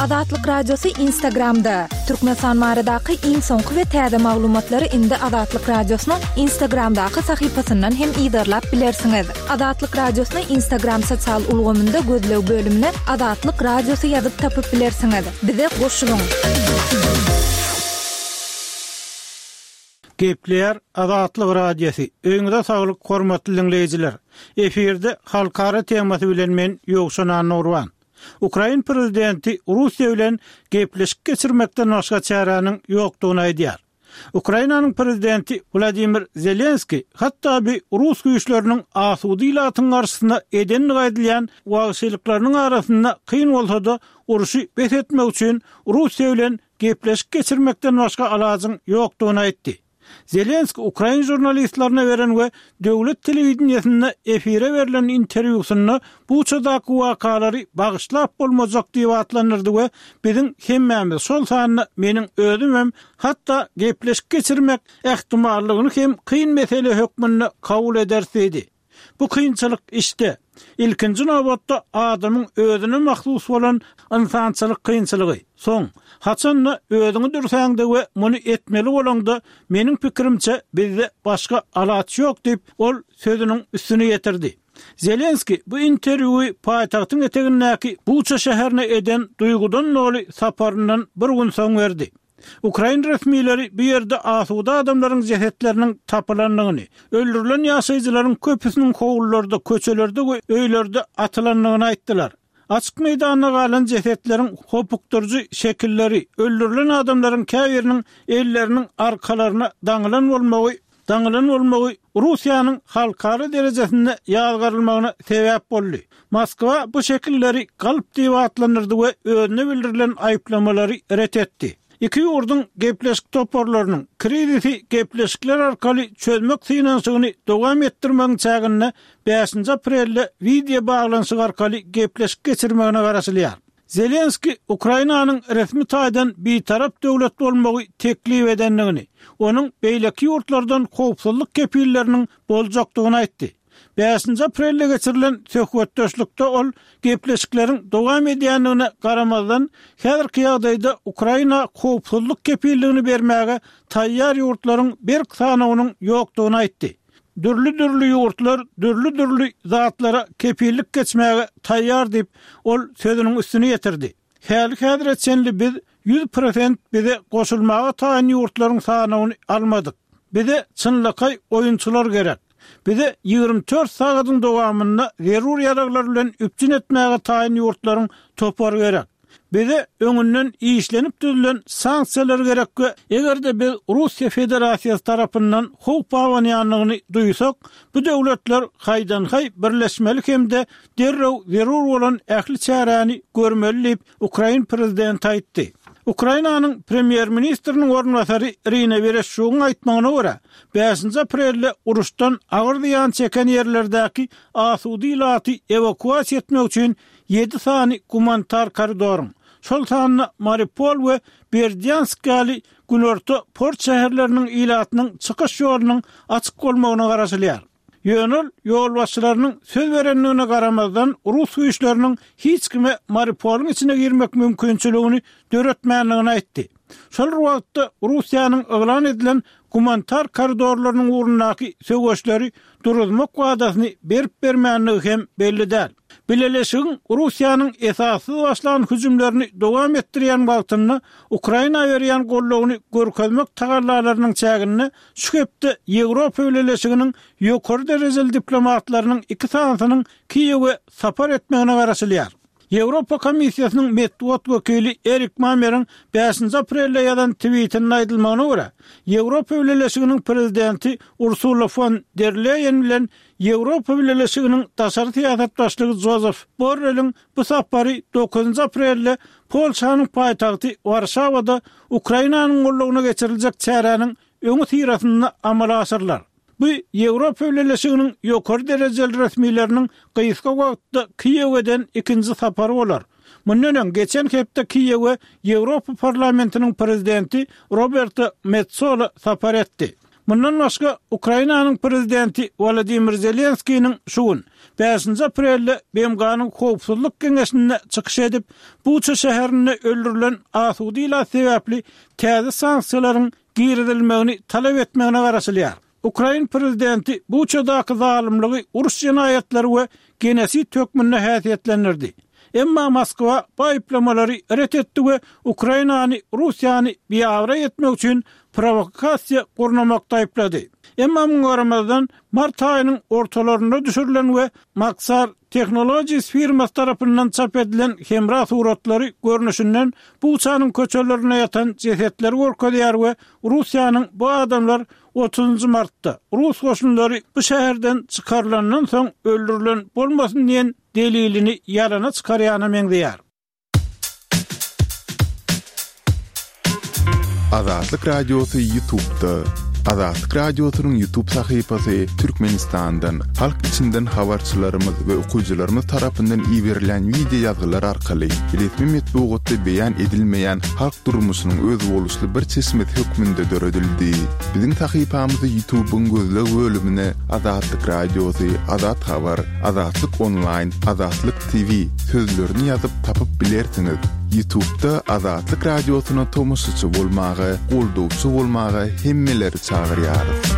Azatlyk Radiosy Instagramda! Türkmenistan baradaky iň soňky we täze maglumatlary indi Azatlyk Radiosynyň Instagramdaky sahypasyndan hem yzarlap bilersiňiz. Azatlyk Radiosyny Instagram sosial ulgamynda gözleg bölümine Azatlyk Radiosy ýazyp tapyp bilersiňiz. Bize goşulyň! Gepleýär Azatlyk Radiosy. Öýüňize saglyk hormatly diňleýjiler. Efirde halkara temasy bilen men Ýowşan Annagurban. Ukrain prezidenti Russiýa bilen gepleşik geçirmekden başga çäräniň ýokdugyny aýdýar. Ukrainanyň prezidenti Wladimir Zelenskiý hatda bi rus güýçleriniň asuda ilatyň garşysyna edendigi aýdylýan wagşylyklarynyň arasynda kyn bolsa-da urşy bes etmek üçin Russiýa bilen gepleşik geçirmekden başga alajyň ýokdugyny aýtdy. Zelenskiý ukrain žurnalistlerine beren we döwlet telewideniýesinde efire berlen interwýusynda Buçadaky wakalary bagyşlap bolmajak diýip atlandyrdy we biziň hemmämiz, şol sanda meniň özüm hem hatda gepleşik geçirmek ähtimallygyny hem kyn mesele hökmünde kabul ederis diýdi. Bu kynçylyk işde, ilkinji nobatda adamyň özüne mahsus bolan ynsançylyk kynçylygy. Soň, haçan-da özüňi dürsäňde we muny etmeli bolaňda, meniň pikirimçe, bizde başga alaç ýok diýip, ol sözüniň üstüni ýetirdi. Zelenskiý bu interwýuwy paýtagtyň etegindäki Buça şäherine eden duýgudan doly saparyndan bir gün soň berdi. Ukrain resmileri bu ýerde asuda adamlaryň jesetleriniň tapylandygyny, öldürilen ýaşaýjylaryň köpüsiniň howlularda, köçelerde we öýlerde atylandygyny aýtdylar. Açyk meýdanda galan jesetleriň hopukdyryjy şekilleri, öldürilen adamlaryň käbiriniň elleriniň arkalaryna daňylan bolmagy daňylan bolmagy Russiýanyň halkara derejesinde ýazgarylmagyna sebäp boldy. Moskwa bu şekilleri galp diýip atlandyrdy we özüne bildirilen aýyplamalary ret etdi. Iki ýurduň gepleşik toparlarynyň krizisi gepleşikler arkaly çözmek synanyşygyny dowam etdirmegiň çäginde bäşinji aprelde wideo baglanyşyk arkaly gepleşik geçirmegine garaşylýar. Zelenskiý Ukrainanyň resmi taýdan bitarap döwlet bolmagy teklip edendigini, onuň beýleki ýurtlardan howpsuzlyk kepilleriniň boljakdygyny aýtdy. Bäşinji aprelde geçirilen söhbetdeşlikde ol gepleşikleriň dowam edýändigine garamazdan, häzirki ýagdaýda Ukraina howpsuzlyk kepilligini bermäge taýýar ýurtlaryň berk sanawynyň ýokdugyny aýtdy. Dürli-dürli ýurtlar dürli-dürli zatlara kepillik geçmäge taýýar diýip, ol sözüniň üstüni ýetirdi. Häli-häzire çenli biz 100% bize goşulmaga taýyn ýurtlaryň sanawyny almadyk. Bize çynlakaý oýunçylar gerek. Bize 24 sagadyň dowamynda zerur ýaraglar bilen üpjün etmäge taýyn ýurtlaryň topary gerek. Bize öňünden işlenip düzülen sanksiýalar gerek we eger-de biz Russiýa Federasiýasy tarapyndan howp abanýandygyny duýsak, bu döwletler haýdan-haý birleşmeli hem-de derrew zerur bolan ähli çäräni görmeli diýip, ukrain prezidenti aýtdy. Ukrainanyň premýer-ministriniň orunbasary Irina Wereşçugyň aýtmagyna görä, bäşinji aprelde uruşdan agyr zyýan çeken ýerlerdäki asuda ilaty ewakuasiýa etmek üçin ýedi sany gumanitar koridoryň, şol sanda Mariupol we Berdýansk ýaly günorta port şäherleriniň ilatynyň çykyş ýolunyň açyk bolmagyna garaşylýar. Ýöne ol ýolbaşçylarynyň söz berendigine garamazdan, rus güýçleriniň hiç kime Mariupolyň içine girmek mümkinçiligini döretmändigini aýtdy. Şol bir wagtda, Russiýanyň yglan edilen gumanitar koridorlarynyň ugrundaky söweşleri duruzmak wadasyny berip-bermändigi hem belli däl. Bileleşigiň Russiýanyň esassyz başlan hüjümlerini dowam etdirýän wagtynda Ukraina berýän goldawyny görkezmek tagallalarynyň çäginde şu hepde Ýewropa Bileleşiginiň ýokary derejeli diplomatlarynyň iki sanysynyň Kiýewe sapar etmegine garaşylýar. Ýewropa Komissiýasynyň metbugat wekili Erik Mameriň bäşinji aprelde ýazan twitinde aýdylmagyna görä, Ýewropa Bileleşiginiň Prezidenti Ursula fon der Leýen bilen Ýewropa Bileleşiginiň daşary syýasat başlygy Jozef Borreliň bu sapary dokuzynjy aprelde Polşanyň paýtagty Warşawada Ukrainanyň goldawyna geçiriljek çäräniň öňüsyrasynda amala aşyrylar. Bu Ýewropa Bileleşiginiň ýokary derejeli resmileriniň gysga wagtda Kiýewe eden ikinji sapary bolar. Mundan öň, geçen hepde Kiýewe Ýewropa Parlamentiniň prezidenti Roberta Metsola sapar etdi. Mundan başga, Ukrainanyň prezidenti Wolodymyr Zelenskiniň şu gün, bäşinji aprelde BMG-niň Howpsuzlyk Geňeşinde çykyş edip, Buça şäherinde öldürilen asuda ilat sebäpli täze sanksiýalaryň girizilmegini talap etmegine garaşylýar. Ukrain prezidenti Buçadaky zalymlygy uruş jenaýatlary we genosid hökmünde häsiýetlendirdi. Emma Moskwa bu aýyplamalary ret etdi we Ukrainany Russiýany biabraý etmek üçin prowokasiýa gurnamakda aýyplady. Emma muňa garamazdan, mart aýynyň ortalarynda düşürilen we Maxar Technologies firmasy tarapyndan çap edilen hemra suratlary görnüşinden Buçanyň köçelerinde ýatan jesetleri görkezýär we Russiýanyň bu adamlar otuzynjy martda, rus goşunlary bu şäherden çykarylandan soň öldürilen bolmasyn diýen delilini ýalana çykarýana meňzeýär. Azatlyk Radiosy Ýutubda. Azatlyk Radiosynyň Ýutub sahypasy Türkmenistandan, halk içinden habarçylarymyz we okyjylarymyz tarapyndan iberilen wideo ýazgylar arkaly resmi metbugatda beýan edilmeýän halk durmuşynyň özboluşly bir çeşmesi hökmünde döredildi. Biziň sahypamyzy Ýutubyň gözleg bölümine Azatlyk Radiosy, Azat Habar, Azatlyk Onlaýn, Azatlyk TV sözlerini ýazyp tapyp bilersiňiz. Ýutubda Azatlyk Radiosyna tomaşaçy bolmaga, goldawçy bolmaga hemmeleri çagyrýarys.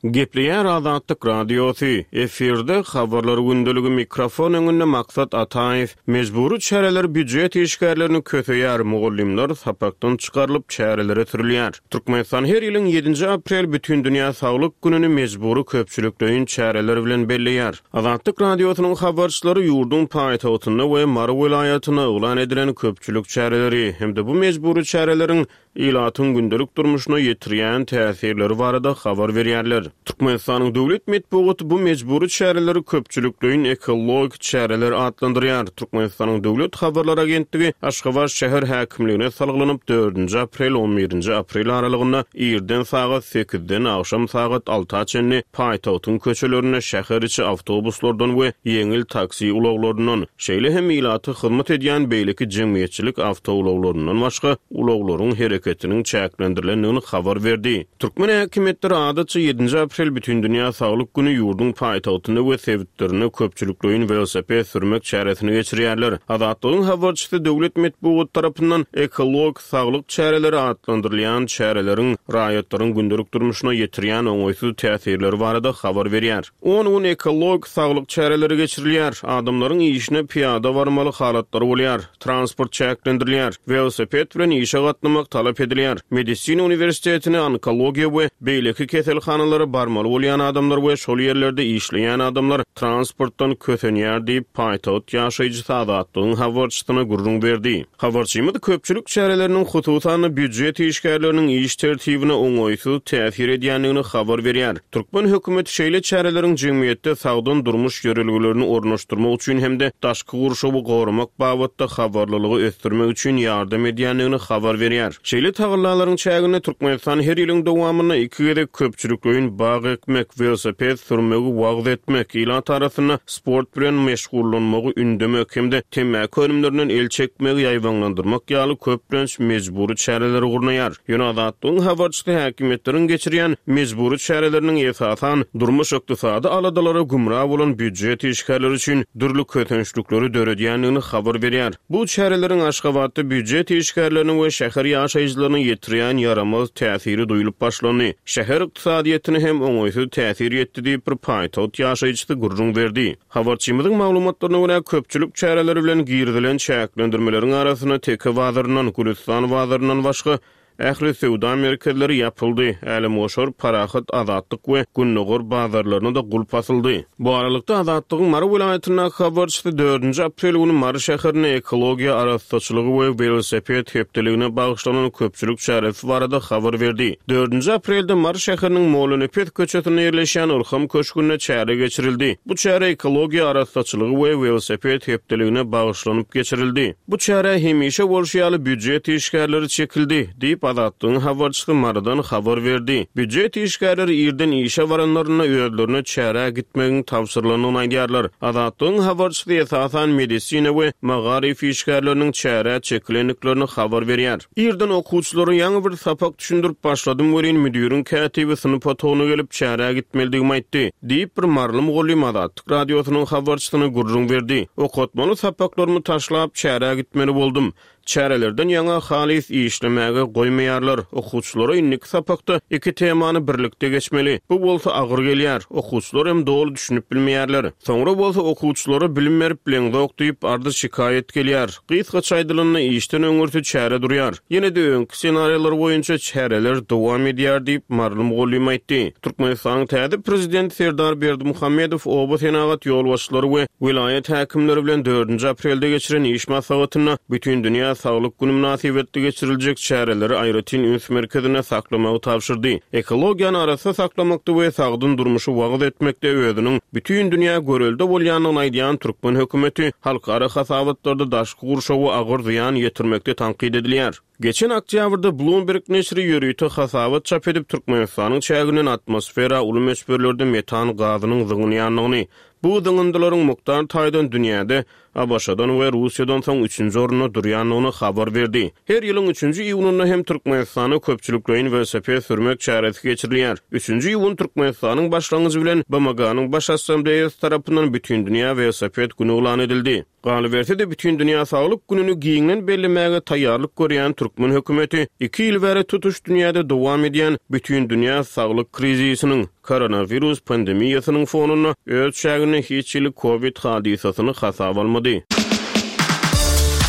Gepleýär Azatlyk Radiosy, efirde Habarlar gündeligi mikrofon öňünde Maksat Ataýew. Mejbury çäreler býujet işgärlerini köseýär, mugallymlar sapakdan çykarylyp çärelere sürülýär. Türkmenistan her ýylyň ýedinji aprel Bütindünýä saglyk gününi mejbury köpçülikleýin çäreler bilen belleýär. Azatlyk Radiosynyň habarçylary ýurduň paýtagtynda we Mary welaýatynda yglan edilen köpçülik çäreleri hem-de bu mejbury çäreleriň ilatyň gündelik durmuşyna ýetirýän täsirleri barada habar berýärler. Türkmenistanyň döwlet metbugaty bu mejbury çäreleri köpçülikleýin ekologik çäreler atlandyrýar. Türkmenistanyň Döwlet habarlar agentligi Aşgabat şäher häkimligine salgylanyp, dördünji aprel, on birinji aprel aralygynda irden sagat sekizden agşam sagat alta çenli paýtagtyň köçelerinde şäher içi awtobuslardan we ýeňil taksi ulaglaryndan, şeýle hem ilata hyzmat edýän beýleki jemgyýetçilik awtoulaglaryndan başga ulaglaryň hereketiniň çäklendirilendigini habar berdi. Türkmen häkimiýetleri adatça ýedinji aprel Bütindünýä saglyk güni ýurduň paýtagtynda we sebitlerinde köpçülikleýin welosiped sürmek çäresini geçirýärler. Azatlygyň habarçysy döwlet metbugaty tarapyndan ekologik saglyk çäreleri atlandyrylýan çäreleriň raýatlaryň gündelik durmuşyna ýetirýän oňaýsyz täsirleri barada habar berýär. On gün ekologik saglyk çäreleri geçirilýär. Adamlaryň işine pyýada barmaly halatlary bolýar. Transport çäklendirilýär. Welosiped bilen işe gatnamak talap edilýär. Medisina uniwersitetine, onkologiýa we beýleki keselhanalara barmaly bolýan adamlar we şol ýerlerde işleýän adamlar transportdan kösenýär diýip, paýtagt ýaşaýjysy Azatlygyň habarçysyna gürrüň berdi. Habarçymyz köpçülik çäreleriniň, hususan-da, býujet işgärleriniň iş tertibine oňaýsyz täsir edýändigini habar berýär. Türkmen hökümeti şeýle çäreleriň jemgyýetde sagdyn durmuş ýörelgelerini ornaşdyrmak üçin hem-de daşky gurşawy goramak babatda habarlylygy ösdürmek üçin ýardam edýändigini habar berýär. Şeýle tagallalaryň çäginde Türkmenistan her ýylyň dowamynda iki gezek köpçülikleýin bag ekmek, welosiped sürmegi wagyz etmek, ilat arasynda sport bilen meşgullanmagy ündemek hem-de temmäki önümlerinden el çekmegi ýaýbaňlandyrmak ýaly köplenç mejbury çäreleri gurnaýar. Ýöne Azatlygyň habarçysy häkimiýetleriň geçirýän mejbury çäreleriniň esasan durmuş-ykdysady aladalara gümra bolan býujet işgärleri üçin dürli kösençlikleri döredýändigini habar berýär. Bu çäreleriň Aşgabatda býujet işgärlerine we şäher ýaşaýjylaryna ýetirýän ýaramaz täsiri duýlup başlandy. Şäher ykdysadyýetine hem oňaýsyz täsir ýetdi diýip, bir paýtagt ýaşaýjysy gürrüň berdi. Habarçymyzyň maglumatlaryna görä, köpçülik çäreleri bilen girizilen çäklendirmeleriň arasynda Teke bazaryndan, Gülüstan bazaryndan başga ähli söwda merkezleri ýapyldy, Älemgoşar, Parahat, Azatlyk we Gündogar bazarlaryna-da gulp asyldy. Bu aralykda, Azatlygyň Mary welaýatyndaky habarçysy dördünji aprel güni Mary şäherinde ekologiýa arassaçylygy we welosiped hepdeligine bagyşlanan köpçülik çäresi barada habar berdi. Dördünji aprelde Mary şäheriniň Mollanepes köçesinde ýerleşýän Ylham köşgünde çäre geçirildi. Bu çäre ekologiýa arassaçylygy we welosiped hepdeligine bagyşlanyp geçirildi. Bu çärä hemişe bolşy ýaly býujet işgärleri çekildi, diýip, diýip, Azatlygyň habarçysy Marydan habar berdi. Býujet işgärleri irden işe baranlarynda özlerine çärä gitmegiň tabşyrylandygyny aýdýarlar. Azatlygyň habarçysy esasan medisina we magaryf işgärleriniň çärä çekilendiklerini habar berýär. Irden okuwçylara ýaňy bir sapak düşündirip başladym welin, müdiriň kätibi synp otagyna gelip, çärä gitmelidigimi aýtdy, diýip, bir maryly mugallym Azatlyk Radiosynyň habarçysyna gürrüň berdi. Okatmaly sapaklarymy taşlap, çärä gitmeli boldum. Çärelerden ýaňa halys işlemäge goýmaýarlar. Okuwçylara indiki sapakda iki temany birlikde geçmeli. Bu bolsa agyr gelýär. Okuwçylar hem doly düşünip bilmeýärler. Soňra bolsa okuwçylara bilim berip bileňzok diýip arz-şikaýat gelýär. Gysgaça aýdylanda işden öňürti çäre durýar. Ýene-de öňki ssenariýalar boýunça çäreler dowam edýär diýip, maryly mugallym aýtdy. Türkmenistanyň täze Prezidenti Serdar Berdimuhamedow oba senagat ýolbaşçylary we welaýat häkimleri bilen dördünji aprelde geçiren iş maslahatynda Bütindünýä saglyk güni mynasybetli geçiriljek çäreleri aýratyn üns merkezinde saklamagy tabşyrdy. Ekologiýany arassa saklamakda we sagdyn durmuşy wagyz etmekde özüniň bütin dünýä görelde bolýandygyny aýdýan türkmen hökümeti halkara hasabatlarda daşky gurşawa agyr zyýan ýetirmekde tankyt edilýär. Geçen oktýabrda Bloomberg neşiri ýörite hasabat çap edip, Türkmenistanyň çäginden atmosfera uly möçberlerde metan gazynyň zyňylýandygyny, bu zyňyndylaryň mukdar taýdan dünýäde ABŞ-dan we Russiýadan soň üçünji orunda durýandygyny habar berdi. Her ýylyň üçünji iýunynda hem Türkmenistanda köpçülikleýin welosiped sürmek çäresi geçirilýär. Üçünji iýun Türkmenistanyň başlangyjy bilen BMG-niň Baş Assambleýasy tarapyndan Bütindünýä welosiped güni yglan edildi. Galyberse-de, Bütindünýä saglyk gününi giňden bellemäge taýýarlyk görýän türkmen hökümeti iki ýyl bäri tutuş dünýäde dowam edýän bütindünýä saglyk krizisiniň, koronawirus pandemiýasynyň fonunda öz çäginde hiç hili kowid hadysasyny hasaba almady.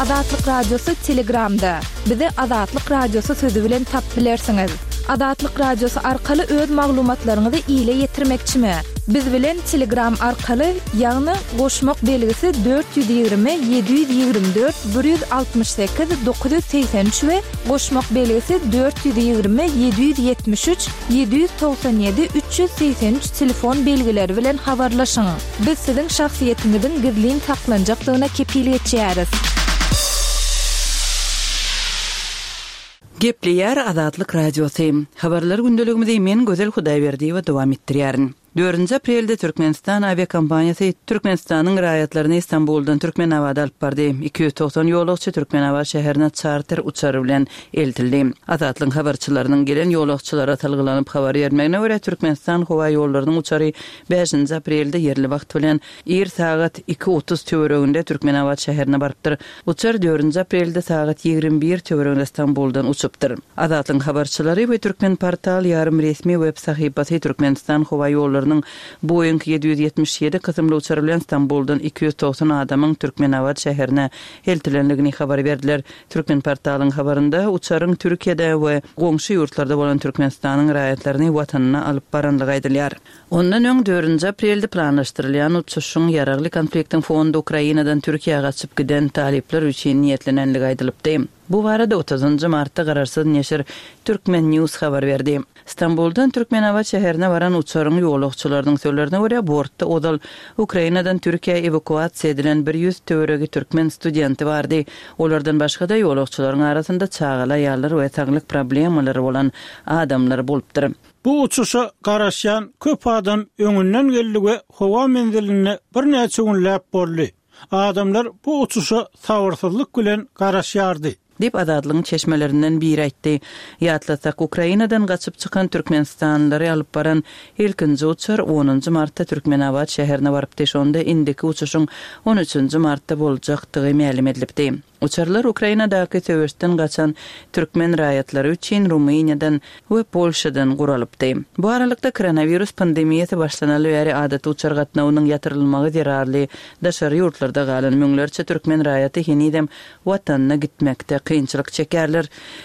Azatlyk Radiosy Telegramda. Bizi Azatlyk Radiosy sözi bilen tapyp bilersiňiz. Azatlyk Radiosy arkaly öz maglumatlaryňyzy ile ýetirmekçimi? Biz bilen Telegram arkaly, ýagny goşmak belgisi 420 724 168 983 we goşmak belgisi 420 773 797 383 telefon belgileri bilen habarlaşyň. Biz siziň şahsyýetiňiziň gizlin saklanjakdygyna kepil geçýäris. Gepleýär Azatlyk Radiosy. Habarlar gündeligimizi men Gözel Hudaýberdiýewa dowam etdirýärin. Dördünji aprelde Türkmenistan awiakompaniýasy Türkmenistanyň raýatlaryny Stambuldan Türkmenabada alyp bardy. 290 ýolagçy Türkmenabat şäherine çarter uçary bilen eltildi. Azatlygyň habarçylarynyň gelen ýolagçylara salgylanyp habar bermegine görä, Türkmenistan howaýollarynyň uçary bäşinji aprelde ýerli wagt bilen ir sagat iki otuz töwereginde Türkmenabat şäherine barypdyr. Uçar dördünji aprelde sagat 21 töwereginde Stambuldan uçupdyr. Azatlygyň habarçylary we Türkmenportal ýarym resmi web sahypasy Türkmenistan howaýollarynyň Boeing 777 kysymly uçary bilen Stambuldan 290 adamyň Türkmenabat şäherine eltilendigini habar berdiler. Türkmenportalyň habarynda uçaryň Türkiýede we goňşy ýurtlarda bolan Türkmenistanyň raýatlaryny watanyna alyp barandygy aýdylýar. Ondan öň, dördünji aprelde planlaşdyrylýan uçuşyň ýaragly konfliktiň fonunda Ukrainadan Türkiýä gaçyp giden talyplar üçin niýetlenendigi aýdylypdy. Bu barada otuzynjy martda garaşsyz neşir Turkmen News habar berdi. Stambuldan Türkmenabat şäherine baran uçaryň ýolagçylarynyň sözlerine görä, bortda ozal Ukrainadan Türkiýä ewakuasiýa edilen 100 töweregi türkmen studenti bardy. Olardan başga-da, ýolagçylaryň arasynda çagaly aýallar we saglyk problemalary bolan adamlar bolupdyr. Bu uçuşa garaşýan köp adam öňünden geldi we howa menzilinde birnäçe günläp boldy. Adamlar bu uçuşa sabyrsyzlyk bilen garaşýardy. Diýip, Azatlygyň çeşmelerinden biri aýtdy. Ýatlasak, Ukrainadan gaçyp çykan türkmenistanlylary alyp baran ilkinji uçar onunjy martda Türkmenabat şäherine barypdy, şonda indiki uçuşyň on üçünji martda boljakdygy mälim edilipdi. Uçarlar Ukrainadaky söweşden gaçan türkmen raýatlary üçin Rumyniýadan we Polşadan guralypdy. Bu aralykda, koronawirus pandemiýasy başlanaly bäri adaty uçar gatnawynyň ýatyrylmagy zerarly daşary ýurtlarda galan müňlerçe türkmen raýaty henizem watanyna gitmekde kynçylyk çekýärler.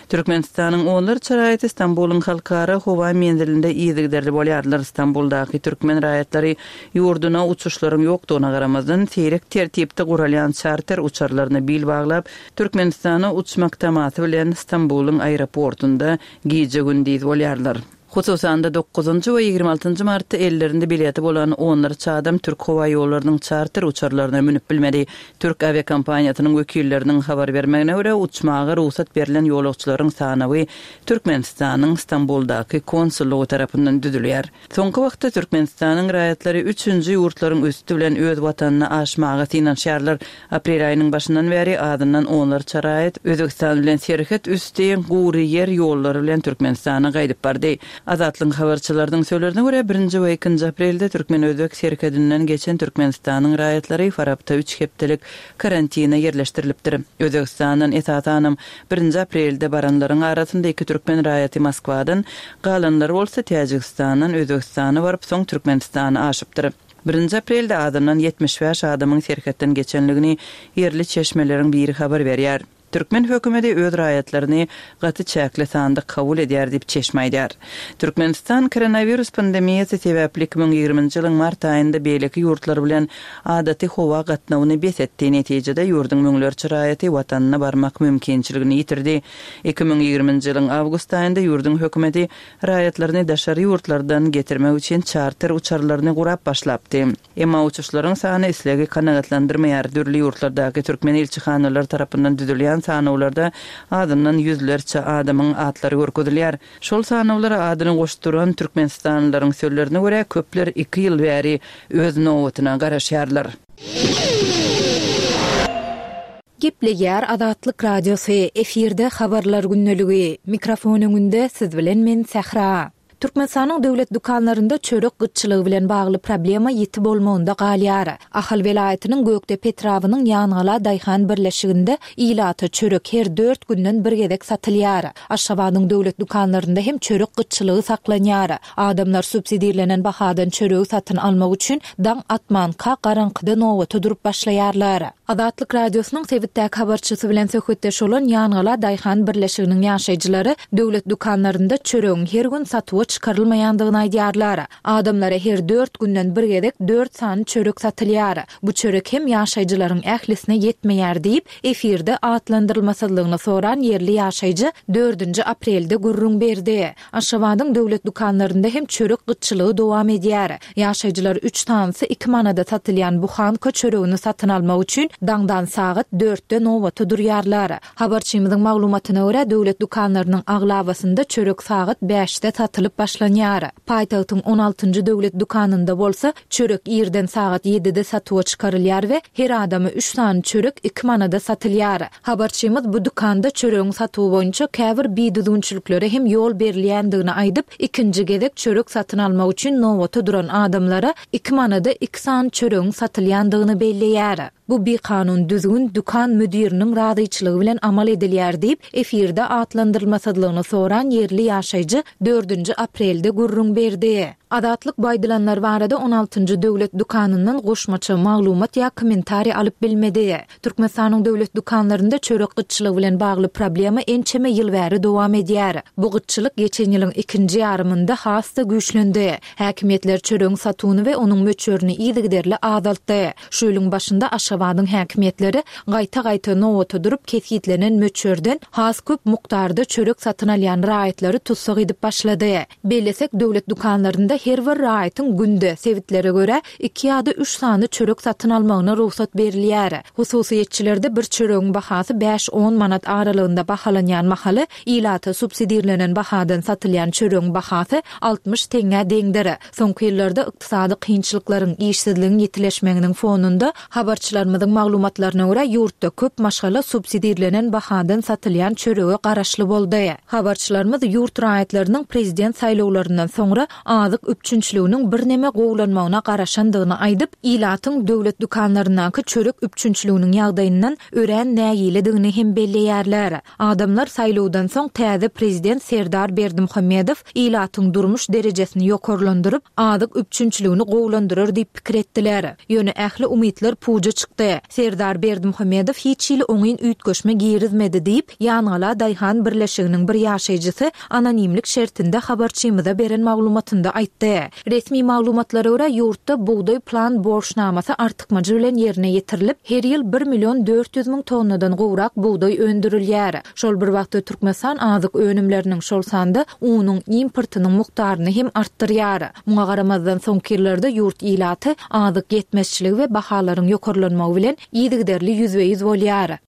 Türkmenistanyň onlarça raýaty Stambulyň halkara howa menzilinde yzygiderli bolýarlar. Stambuldaky türkmen raýatlary ýurduna uçuşlaryň ýokdugyna garamazdan, seýrek tertipde guralýan çarter uçarlaryna bil baglap, Türkmenistana uçmak tamasy bilen Stambulyň aeroportunda gije-gündiz bolýarlar. Hususan-da, dokuzynjy we 26 njy martda ellerinde bileti bolan onlarça adam Türk howa ýollarynyň çarter uçarlaryna münüp bilmedi. Türk awiakompaniýasynyň wekilleriniň habar bermegine görä, uçmaga rugsat berlen ýolagçylaryň sanawy Türkmenistanyň Stambuldaky konsullygy tarapyndan düzülýär. Soňky wagtda Türkmenistanyň raýatlary üçünji ýurtlaryň üsti bilen öz watanyna aşmaga synanyşýarlar. Aprel aýynyň başyndan bäri azyndan onlarça raýat Özbegistan bilen serhet üsti gury ýer ýollary bilen Türkmenistana gaýdyp bardy. Azatlygyň habarçylarynyň sözlerine görä, birinji we ikinji aprelde türkmen-özbek serhedinden geçen Türkmenistanyň raýatlary Farapda üç hepdelik karantine ýerleşdirilipdir. Özbegistandan esasanam birinji aprelde baranlaryň arasynda iki türkmen raýaty Moskwadan, galanlary bolsa Täjigistandan Özbegistana baryp, soň Türkmenistana aşypdyr. Birinji aprelde azyndan 75 adamyň serhetden geçenligini ýerli çeşmeleriň biri habar berýär. Türkmen hökümeti öz raýatlaryny gaty çäkli sanda kabul edýär diýip, çeşme aýdýar. Türkmenistan koronawirus pandemiýasy sebäpli 2020-nji ýylyň mart aýynda beýleki ýurtlar bilen adaty howa gatnawyny bes etdi. Netijede, ýurduň müňlerçe raýaty watanyna barmak mümkinçiligini ýitirdi. 2020-nji ýylyň awgust aýynda ýurduň hökümeti raýatlaryny daşary ýurtlardan getirmek üçin çarter uçarlaryny gurap başlapdy. Emma uçuşlaryň sany islegi kanagatlandyrmaýar, dürli ýurtlardaky türkmen ilçihanalary tarapyndan düzülýän sanawlarda azyndan ýüzlerçe adamyň atlary görkezilýär. Şol sanawlara adyny goşduran türkmenistanlylaryň sözlerine görä, köpler iki ýyl bäri öz nobatyna garaşýarlar. Gepleýär Azatlyk Radiosy, efirde Habarlar gündeligi. Mikrofon öňünde siz bilen men Sähra. Türkmenistanyň döwlet dükanlarynda çörek gytçylygy bilen bagly problema ýiti bolmagynda galýar. Ahal welaýatynyň Gökdepe etrabynyň Ýangala daýhan birleşiginde ilata çörek her dört günden bir gezek satylýar. Aşgabadyň döwlet dükanlarynda hem çörek gytçylygy saklanýar. Adamlar subsidirlenen bahadan çöregi satyn almak üçin daň atmanka garaňkyda nobata durup başlaýarlar. Azatlyk Radiosynyň sebitdäki habarçysy bilen söhbetdeş bolan Ýangala daýhan birleşiginiň ýaşaýjylary döwlet dükanlarynda çöregiň her gün satuwa çykarylmaýandygyny aýdýarlar. Adamlara her dört günden bir gezek dört sany çörek satylýar. Bu çörek hem ýaşaýjylaryň ählisine ýetmeýär diýip, efirde atlandyrylmasyzlygyny soran ýerli ýaşaýjy dördünji aprelde gürrüň berdi. Aşgabadyň döwlet dükanlarynda hem çörek gytçylygy dowam edýär. Ýaşaýjylar üç sanysy iki manada satylýan buhanka çöregini satyn almak üçin daňdan sagat dörtde nobata durýarlar. Habarçymyzyň maglumatyna görä, döwlet dükanlarynyň aglabasynda çörek sagat bäşde satylyp başlanýar. Paýtagtyň on altynjy döwlet dükanynda bolsa, çörek irden sagat ýedide satuwa çykarylýar we her adama üç sany çörek iki manada satylýar. Habarçymyz bu dükanda çöregiň satuwy boýunça käbir bidüzgünçiliklere hem ýol berilýändigini aýdyp, ikinji gezek çörek satyn almak üçin nobata duran adamlara iki manada iki sany çöregiň satylýandygyny belleýär. Bu bikanun düzgün dükan müdiriniň razyçylygy bilen amal edilýär diýip, efirde atlandyrylmasyzlygyny soran ýerli ýaşaýjy dördünji aprelde gürrüň berdi. Azatlyk bu aýdylanlar barada on altynjy döwlet dükanyndan goşmaça maglumat ýa kommentariý alyp bilmedi. Türkmenistanyň döwlet dükanlarynda çörek gytçylygy bilen bagly problema ençeme ýyl bäri dowam edýär. Bu gytçylyk geçen ýylyň ikinji ýarymynda has-da güýçlendi. Häkimiýetler çöregiň satuwyny we onuň möçberini yzygiderli azaltdy. Şu ýylyň başynda Aşgabadyň häkimiýetleri gaýta-gaýta nobata durup kesgitlenen möçberden has köp mukdarda çörek satyn alýan raýatlary tussag edip başlady. Bellesek, döwlet dükanlarynda her bir raýatyň günde, sebitlere görä, iki ýa-da üç sany çörek satyn almagyna rugsat berilýär. Hususyýetçilerde bir çöregiň bahasy bäş-on manat aralygynda bahalanýan mahaly, ilata subsidirlenen bahadan satylýan çöregiň bahasy 60 teňňä deňdir. Soňky ýyllarda ykdysady kynçylyklaryň, işsizligiň ýitileşmeginiň fonunda, habarçylarymyzyň maglumatlaryna görä, ýurtda köp maşgala subsidirlenen bahadan satylýan çörege garaşly boldy. Habarçylarymyz ýurt raýatlarynyň prezident saýlawlaryndan soňra azyk üpjünçiliginiň birneme gowulanmagyna garaşandygyny aýdyp, ilatyň döwlet dükanlaryndaky çörek üpjünçiliginiň ýagdaýyndan örän nägiledigini hem belleýärler. Adamlar saýlawdan soň täze prezident Serdar Berdimuhamedow ilatyň durmuş derejesini ýokarlandyryp, azyk üpjünçiligini gowulandyrar diýip pikir etdiler. Ýöne ähli umytlar puja çykdy. Serdar Berdimuhamedow hiç hili oňyn üýtgeşme girizmedi diýip, Ýangala daýhan birleşiginiň bir ýaşaýjysy anonimlik şertinde habarçymyza beren maglumatynda aýtdy. aýtdy. Resmi maglumatlara görä, ýurtda bugdaý plan borçnamasy artykmajy bilen ýerine ýetirilip, her ýyl bir million 400 müň tonnadan gowrak bugdaý öndürilýär. Şol bir wagtda Türkmenistan azyk önümleriniň, şol sanda unuň importynyň mukdaryny hem artdyrýar. Muňa garamazdan, soňky ýyllarda ýurt ilaty azyk ýetmezçiligi we bahalaryň ýokarlanmagy bilen yzygiderli ýüzbe-ýüz bolýar.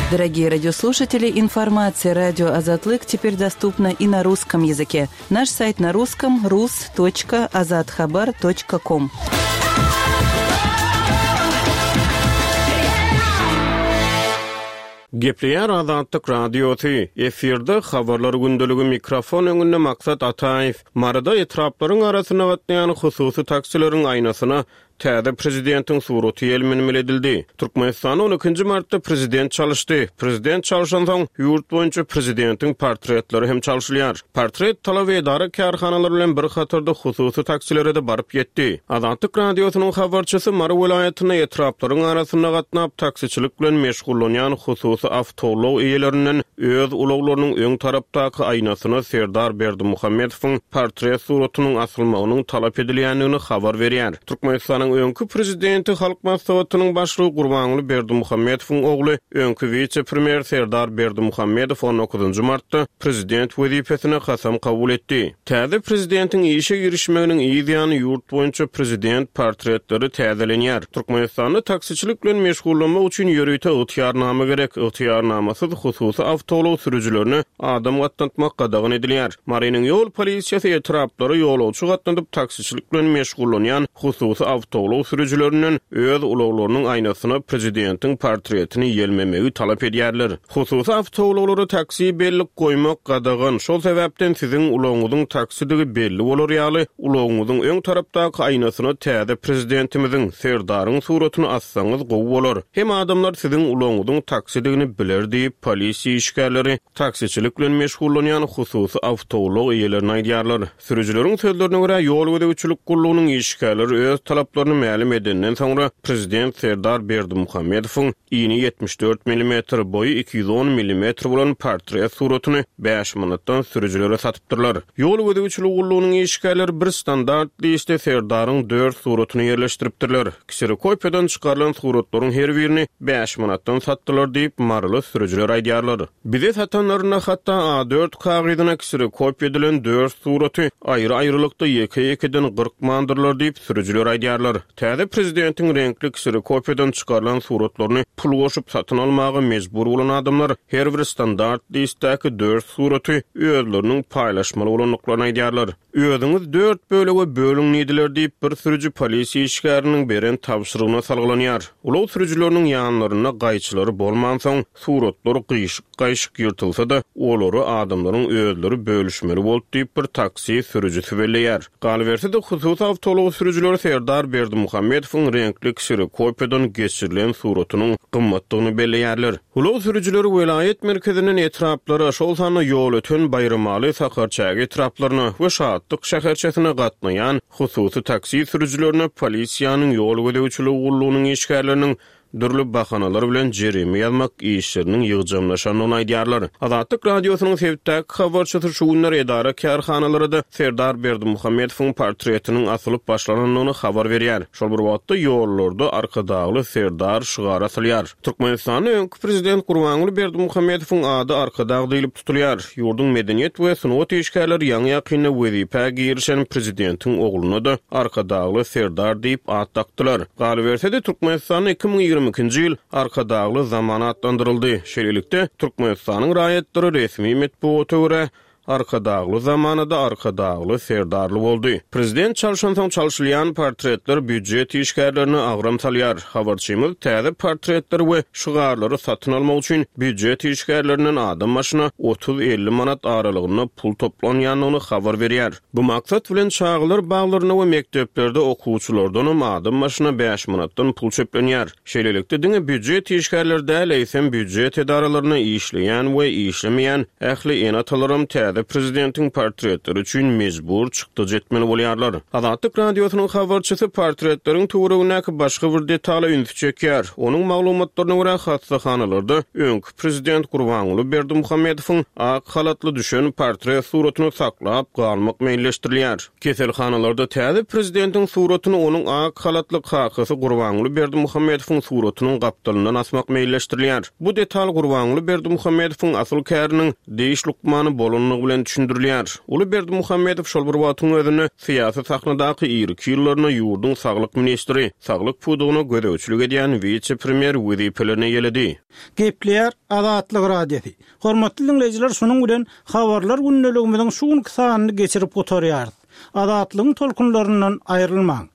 Дорогие радиослушатели, информация радио Азатлык теперь доступна и на русском языке. Наш сайт на русском rus.azathabar.com. Gepleýär Azatlyk Radiosy, efirde Habarlar gündeligi mikrofon öňünde Maksat Ataýew. Maryda etraplaryň arasynda gatnaýan hususy taksileriň aýnasyna täze prezidentiň suraty ýelmenmeli edildi. Türkmenistanda on ikinji martda prezident çalyşdy. Prezident çalşansoň, ýurt boýunça prezidentiň portretleri hem çalşylýar. Portret talaby edara-kärhanalar bilen bir hatarda hususy taksilere-de baryp ýetdi. Azatlyk Radiosynyň habarçysy Mary welaýatynda etraplaryň arasynda gatnap, taksiçilik bilen meşgullanýan hususy awtoulag eýelerinden öz ulaglarynyň öň tarapdaky aýnasyna Serdar Berdimuhamedowyň portret suratynyň asylmagynyň talap edilýändigini habar berýär. Türkmenistanyň öňki prezidenti, Halk Maslahatynyň Başlygy Gurbanguly Berdimuhamedowyň ogly, öňki wise-premýer Serdar Berdimuhamedow on dokuzynjy martda prezident wezipesine kasam kabul etdi. Täze prezidentiň işe girişmeginiň yz ýany ýurt boýunça prezident portretleri täzelenýär. Türkmenistanda taksiçilik bilen meşgullanmak üçin ýörite ygtyýarnama gerek. Ygtyýarnamasyz hususy awtoulag sürüjilerine adam gatnatmak gadagan edilýär. Marynyň ýol polisiýasy etraplara ýolagçy gatnadyp taksiçilik bilen meşgullanýan hususy awtoulag sürüjilerinden öz ulaglarynyň aýnasyna prezidentiň portretini ýelmemegi talap edýärler. Hususy awtoulaglara taksi bellik goýmak gadagan, şol sebäpden siziň ulagyňyzyň taksidigi belli bolar ýaly, ulagyňyzyň öň tarapdaky aýnasyna täze Prezidentimiziň, Serdaryň suratyny assaňyz gowy bolar. Hem adamlar siziň ulagyňyzyň taksidigini biler diýip, polisiýa işgärleri taksiçilik bilen meşgullanýan hususy awtoulag eýelerine aýdýarlar. Sürüjileriň sözlerine görä, ýol gözegçilik gullugynyň işgärleri öz talaplaryny mälim edenden soňra, prezident Serdar Berdimuhamedowyň ini 74 millimetr, boýy 210 millimetr bolan portret suratyny bäş manatdan sürüjilere satypdyrlar. Ýol gözegçiligi gullugynyň işgärleri bir standart listde Serdaryň dört suratyny ýerleşdiripdirler. Kserokopiýadan çykarylan suratlaryň her birini bäş manatdan satdylar diýip, maryly sürüjiler aýdýarlar. Bize satanlarynda hatda A dört kagyzyna kserokopiýa edilen dört suraty aýry-aýrylykda ýeke-ýekeden gyrkmandyrlar diýip, sürüjiler aýdýarlar. Täze prezidentiň reňkli kserokopiýadan çykarylan suratlaryny pul goşup satyn almaga mejbur bolan adamlar her bir standart listdäki dört suraty özleriniň paýlaşmaly bolandyklaryny aýdýarlar. Özüňiz dört bölege bölüň diýdiler diýip, bir sürüji polisiýa işgäriniň beren tabşyrygyna salgylanýar. Ulag sürüjileriniň ýanlarynda gaýçylary bolmansoň, suratlar gyşyk-gaýşyk ýyrtylsa-da, olary adamlaryň özleri bölüşmeli boldy diýip, bir taksi sürüjisi belleýär. Galyberse-de, hususy awtoulag sürüjileri Serdar Berdimuhamedowyň reňkli kserokopiýadan geçirilen suratynyň gymmatdygyny belleýärler. Ulag sürüjileri welaýat merkezinden etraplara, şol sanda Ýolöten, Baýramaly, Sakarçäge etraplaryna we Şatlyk şäherçesine gatnaýan hususy taksi sürüjilerine polisiýanyň ýol gözegçiligi gullugynyň işgärleriniň dürli bahanalar bilen jerime ýazmak işleriniň ýygjamlaşandygyny aýdýarlar. Azatlyk Radiosynyň sebitdäki habarçysy şu günler edara-kärhanalara-da Serdar Berdimuhamedowyň portretiniň asylyp başlanandygyny habar berýär. Şol bir wagtda ýollarda Arkadagly Serdar şygary asylýar. Türkmenistanda öňki prezident Gurbanguly Berdimuhamedowyň ady Arkadag diýlip tutulýar. Ýurduň medeniýet we sungat işgärleri ýaňy-ýakynda wezipä girişen prezidentiň ogluna-da Arkadagly Serdar diýip at dakdylar. Galyberse-de, Türkmenistanda 2022-nji ýyl Arkadagly zaman atlandyryldy. Şeýlelikde, Türkmenistanyň raýatlary resmi metbugata görä, Arkadagly zamanada Arkadagly Serdarly boldy. Prezident çalşansoň çalşylýan portretler býujet işgärlerine agram salýar. Habarçymyz täze portretleri we şygarlary satyn almak üçin býujet işgärlerinden adam başyna otuz-elli manat aralygynda pul toplanýandygyny habar berýär. Bu maksat bilen çagalar baglarynda we mekdeplerde okuwçylardanam adam başyna bäş manatdan pul çöplenýär. Şeýlelikde, diňe býujet işgärleri däl, eýsem, býujet edaralarynda işleýän we işlemeýän ähli ene-atalaram täze. täze prezidentiň portretleri üçin mejbur çykdajy etmeli bolýarlar. Azatlyk Radiosynyň habarçysy portretleriň töweregindäki başga bir detala ünsi çekýär. Onuň maglumatlaryna görä, hassahanalarda öňki prezident Gurbanguly Berdimuhamedowyň ak halatly düşen portret suratyny saklap galmak meýilleşdirilýär. Keselhanalarda täze prezidentiň suratyny onuň ak halatly kakasy Gurbanguly Berdimuhamedowyň suratynyň gapdalyndan asmak meýilleşdirilýär. Bu detal Gurbanguly Berdimuhamedowyň asyl käriniň diş lukmany bolandygy bilen düşündirilýär. Uly Berdimuhamedow şol bir wagtyň özünde syýasy sahnadaky irki ýyllarynda ýurduň saglyk ministri, saglyk pudagyna gözegçilik edýän wise-premýer wezipelerini eýeledi. Gepleýär Azatlyk Radiosy. Hormatly diňleýjiler şunuň bilen Habarlar gündeligimiziň şu günki sanyny geçirip gutarýarys. Azatlygyň tolkunlaryndan aýrylmaň.